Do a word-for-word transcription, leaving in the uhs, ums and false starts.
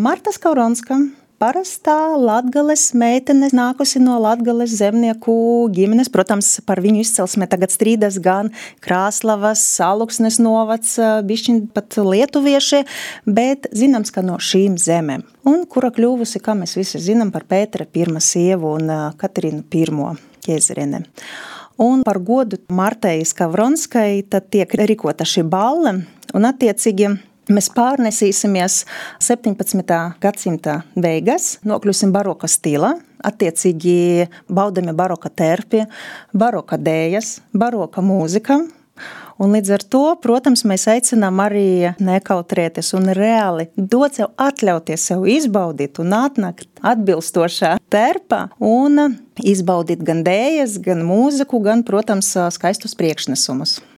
Marta Skauronska. Parastā Latgales meitene, nākusi no Latgales zemnieku ģimenes. Protams, par viņu izcelsmē tagad strīdas gan Krāslavas, Alūksnes novads, bišķiņ pat lietuvieši, bet zināms, ka no šīm zemēm. Un kura kļuvusi, kā mēs visi zinām, par Pētera pirmā sievu un Katrīnu pirmo ķēzerene. Un par godu Martai Skavronskai tad tiek rīkota šī balle, un attiecīgi mēs pārnesīsimies septiņpadsmitā gadsimta beigas, nokļūsim baroka stilā, attiecīgi baudami baroka terpi, baroka dējas, baroka mūzika. Un līdz ar to, protams, mēs aicinām arī nekautrēties un reāli dot sev atļauties sev izbaudīt un atnākt atbilstošā terpā un izbaudīt gan dējas, gan mūziku, gan, protams, skaistus priekšnesumus.